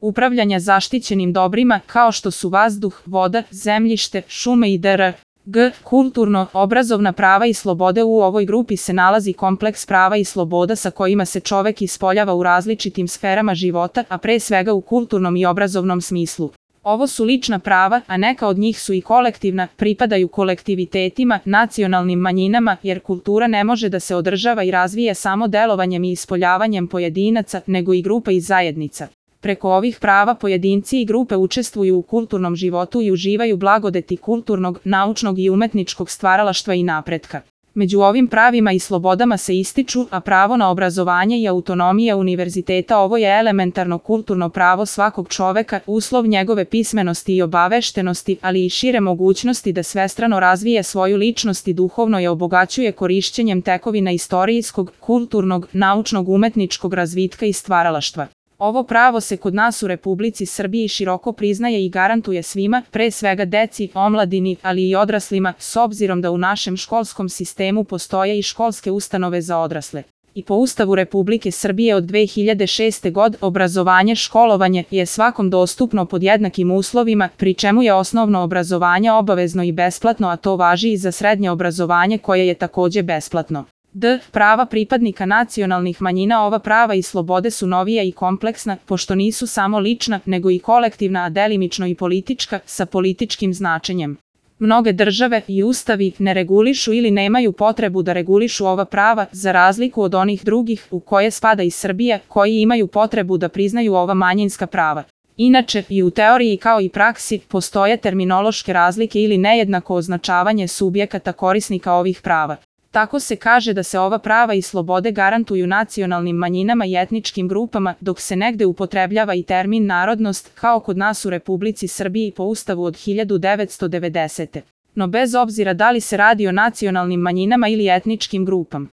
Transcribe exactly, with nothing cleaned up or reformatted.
upravljanja zaštićenim dobrima kao što su vazduh, voda, zemljište, šume i dr. g. Kulturno-obrazovna prava i slobode. U ovoj grupi se nalazi kompleks prava i sloboda sa kojima se čovek ispoljava u različitim sferama života, a pre svega u kulturnom i obrazovnom smislu. Ovo su lična prava, a neka od njih su i kolektivna, pripadaju kolektivitetima, nacionalnim manjinama, jer kultura ne može da se održava i razvija samo delovanjem i ispoljavanjem pojedinaca, nego i grupa i zajednica. Preko ovih prava pojedinci i grupe učestvuju u kulturnom životu i uživaju blagodeti kulturnog, naučnog i umetničkog stvaralaštva i napretka. Među ovim pravima i slobodama se ističu, a pravo na obrazovanje i autonomija univerziteta. Ovo je elementarno kulturno pravo svakog čoveka, uslov njegove pismenosti i obaveštenosti, ali i šire mogućnosti da svestrano razvije svoju ličnost i duhovno je obogaćuje korišćenjem tekovina istorijskog, kulturnog, naučnog, umetničkog razvitka i stvaralaštva. Ovo pravo se kod nas u Republici Srbiji široko priznaje i garantuje svima, pre svega deci, omladini, ali i odraslima, s obzirom da u našem školskom sistemu postoje i školske ustanove za odrasle. I po Ustavu Republike Srbije od dve hiljade šeste. godine obrazovanje, školovanje je svakom dostupno pod jednakim uslovima, pri čemu je osnovno obrazovanje obavezno i besplatno, a to važi i za srednje obrazovanje koje je takođe besplatno. d. Prava pripadnika nacionalnih manjina. Ova prava i slobode su novija i kompleksna, pošto nisu samo lična, nego i kolektivna, a delimično i politička, sa političkim značenjem. Mnoge države i ustavi ne regulišu ili nemaju potrebu da regulišu ova prava, za razliku od onih drugih, u koje spada i Srbija, koji imaju potrebu da priznaju ova manjinska prava. Inače, i u teoriji kao i praksi, postoje terminološke razlike ili nejednako označavanje subjekata korisnika ovih prava. Tako se kaže da se ova prava i slobode garantuju nacionalnim manjinama i etničkim grupama, dok se negde upotrebljava i termin narodnost, kao kod nas u Republici Srbiji po Ustavu od hiljadu devetsto devedesete. No bez obzira da li se radi o nacionalnim manjinama ili etničkim grupama.